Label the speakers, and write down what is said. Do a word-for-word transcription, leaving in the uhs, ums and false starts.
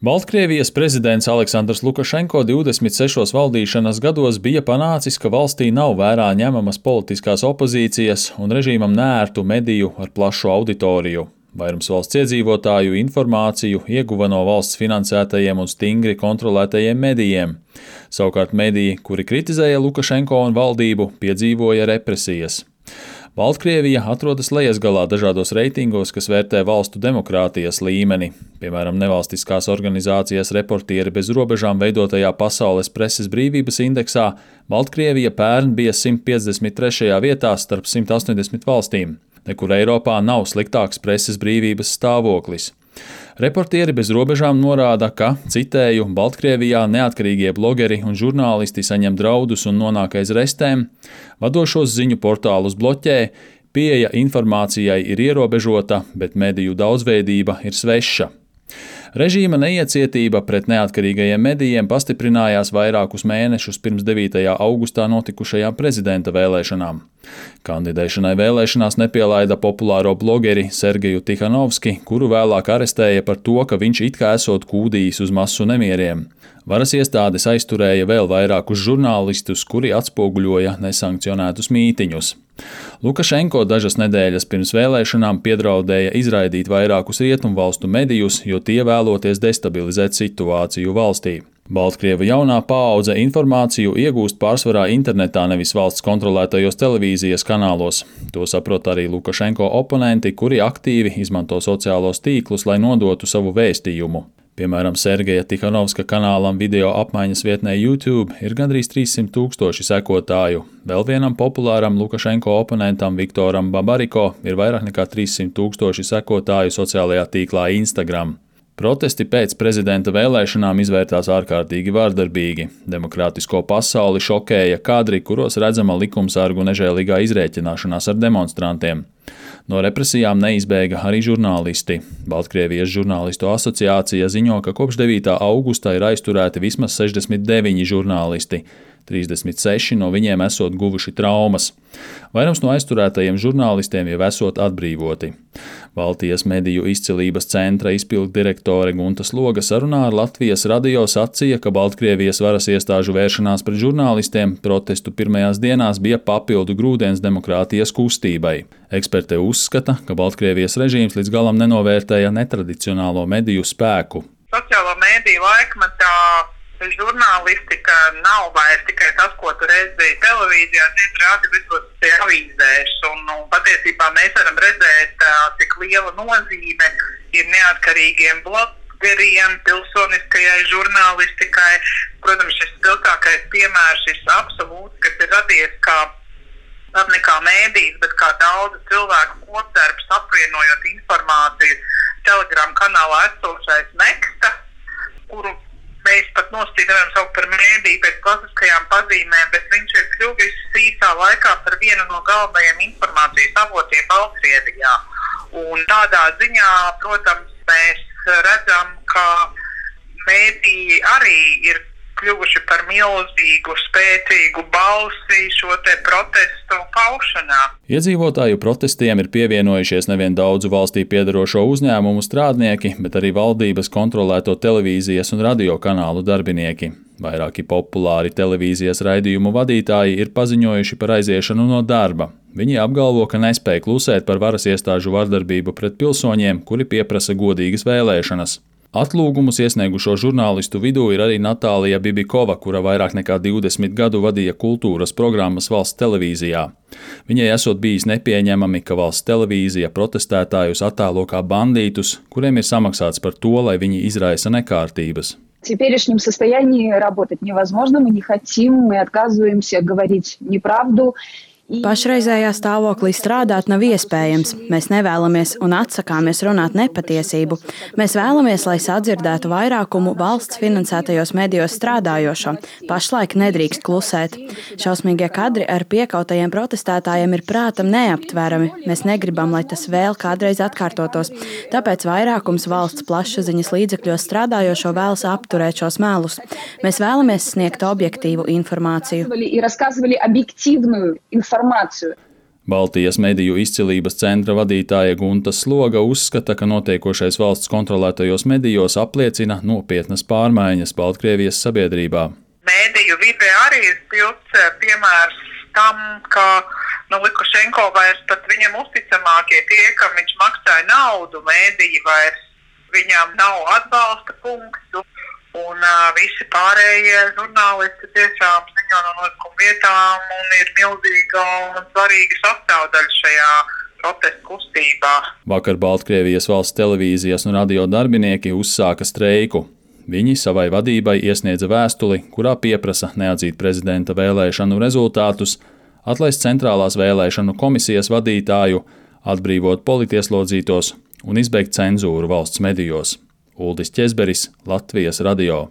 Speaker 1: Baltkrievijas prezidents Aleksandrs Lukašenko divdesmit sešos valdīšanas gados bija panācis, ka valstī nav vērā ņemamas politiskās opozīcijas un režīmam neērtu mediju ar plašu auditoriju. Vairums valsts iedzīvotāju informāciju ieguva no valsts finansētajiem un stingri kontrolētajiem medijiem. Savukārt mediji, kuri kritizēja Lukašenko un valdību, piedzīvoja represijas. Baltkrievija atrodas lejasgalā dažādos reitingos, kas vērtē valstu demokrātijas līmeni. Piemēram, nevalstiskās organizācijas Reportieri bez robežām veidotajā pasaules preses brīvības indeksā Baltkrievija pērn bija simt piecdesmit trešajā vietā starp simt astoņdesmit valstīm. Nekur Eiropā nav sliktāks preses brīvības stāvoklis. Reportieri bez robežām norāda, ka, citēju, Baltkrievijā neatkarīgie blogeri un žurnālisti saņem draudus un nonāk aiz restēm, vadošos ziņu portālus bloķē, pieeja informācijai ir ierobežota, bet mediju daudzveidība ir sveša. Režīma neiecietība pret neatkarīgajiem medijiem pastiprinājās vairākus mēnešus pirms devītajā augustā notikušajām prezidenta vēlēšanām. Kandidēšanai vēlēšanās nepielaida populāro blogeri Sergeju Tihanovski, kuru vēlāk arestēja par to, ka viņš it kā esot kūdījis uz masu nemieriem. Varas iestādes aizturēja vēl vairākus žurnālistus, kuri atspoguļoja nesankcionētus mītiņus. Lukašenko dažas nedēļas pirms vēlēšanām piedraudēja izraidīt vairākus rietumvalstu medijus, jo tie vēloties destabilizēt situāciju valstī. Baltkrievu jaunā paudze informāciju iegūst pārsvarā internetā, nevis valsts kontrolētajos televīzijas kanālos. To saprot arī Lukašenko oponenti, kuri aktīvi izmanto sociālos tīklus, lai nodotu savu vēstījumu. Piemēram, Sergeja Tihanovska kanālam video apmaiņas vietnē YouTube ir gandrīz trīssimt tūkstoši sekotāju. Vēl vienam populāram Lukašenko oponentam Viktoram Babariko ir vairāk nekā trīssimt tūkstoši sekotāju sociālajā tīklā Instagram. Protesti pēc prezidenta vēlēšanām izvērtās ārkārtīgi vārdarbīgi. Demokrātisko pasauli šokēja kadri, kuros redzama likumsargu nežēlīgā izrēķināšanās ar demonstrantiem. No represijām neizbēga arī žurnālisti. Baltkrievijas žurnālistu asociācija ziņo, ka kopš devītā augusta ir aizturēti vismaz sešdesmit deviņi žurnālisti. trīsdesmit seši no viņiem esot guvuši traumas. Vairums no aizturētajiem žurnālistiem jau esot atbrīvoti. Baltijas mediju izcilības centra izpildu direktore Gunta Sloga sarunā ar Latvijas radio sacīja, ka Baltkrievijas varas iestāžu vēršanās pret žurnālistiem protestu pirmajās dienās bija papildu grūdienis demokrātijas kustībai. Eksperte uzskata, ka Baltkrievijas režīms līdz galam nenovērtēja netradicionālo mediju spēku.
Speaker 2: Sociālo mediju laikmetā žurnālistika nav vairs tikai tas, ko tu redzēji televīzijā, tiek rādi visos avīzēs, un, un patiesībā mēs varam redzēt, cik liela nozīme ir neatkarīgiem blogeriem, pilsoniskajai žurnālistikai. Protams, šis spilgtākais piemērs, šis absolūts, kas ir radies kā pat ne kā mēdījis, bet kā daudzu cilvēku kopdarbs, apvienojot informāciju Telegram kanālā esošais Neksta, kuru mēs pat nosacīt nevaram saukt par mēdīju pēc klasiskajām pazīmēm, bet viņš ir kļuvis īsā laikā par vienu no galvenajiem informācijas avotiem Baltkrievijā. Un tādā ziņā, protams, mēs redzam, ka mēdīji arī ir kļuvuši par milzīgu, spēcīgu balsi šo te protestu paušanā.
Speaker 1: Iedzīvotāju protestiem ir pievienojušies nevien daudzu valstī piedarošo uzņēmumu strādnieki, bet arī valdības kontrolēto televīzijas un radio kanālu darbinieki. Vairāki populāri televīzijas raidījumu vadītāji ir paziņojuši par aiziešanu no darba. Viņi apgalvo, ka nespēja klusēt par varas iestāžu vardarbību pret pilsoņiem, kuri pieprasa godīgas vēlēšanas. Atlūgumus iesniegušo žurnālistu vidū ir arī Natālija Bibikova, kura vairāk nekā divdesmit gadu vadīja kultūras programmas valsts televīzijā. Viņai esot bijis nepieņemami, ka valsts televīzija protestētājus attēlo kā bandītus, kuriem ir samaksāts par to, lai viņi izraisa nekārtības.
Speaker 3: В теперешнем состоянии работать невозможно, мы не хотим, мы отказываемся говорить неправду.
Speaker 4: Pašreizējā stāvoklī strādāt nav iespējams. Mēs nevēlamies un atsakāmies runāt nepatiesību. Mēs vēlamies, lai sadzirdētu vairākumu valsts finansētajos medijos strādājošo. Pašlaik nedrīkst klusēt. Šausmīgie kadri ar piekautajiem protestētājiem ir prātam neaptverami. Mēs negribam, lai tas vēl kādreiz atkārtotos. Tāpēc vairākums valsts plašsaziņas līdzekļos strādājošo vēlas apturēt šos melus. Mēs vēlamies sniegt objektīvu informāciju.
Speaker 3: И рассказывали объективную информацию.
Speaker 1: Baltijas mediju izcilības centra vadītāja Gunta Sloga uzskata, ka notiekošais valsts kontrolētajos medijos apliecina nopietnas pārmaiņas Baltkrievijas sabiedrībā.
Speaker 2: Mēdīju vidē arī ir spilgts piemērs tam, ka nu, Lukašenko vairs pat viņam uzticamākie tie, kam viņš maksāja naudu, mēdīji vairs viņam nav atbalsta punktu. Un uh, visi pārējie žurnālisti tiešām ziņo no notikuma vietām un ir milzīga un svarīga sastāvdaļa šajā protesta kustībā.
Speaker 1: Vakar Baltkrievijas valsts televīzijas un radio darbinieki uzsāka streiku. Viņi savai vadībai iesniedza vēstuli, kurā pieprasa neatzīt prezidenta vēlēšanu rezultātus, atlaist centrālās vēlēšanu komisijas vadītāju, atbrīvot politieslodzītos un izbeigt cenzūru valsts medijos. Uldis Ķezberis, Latvijas radio.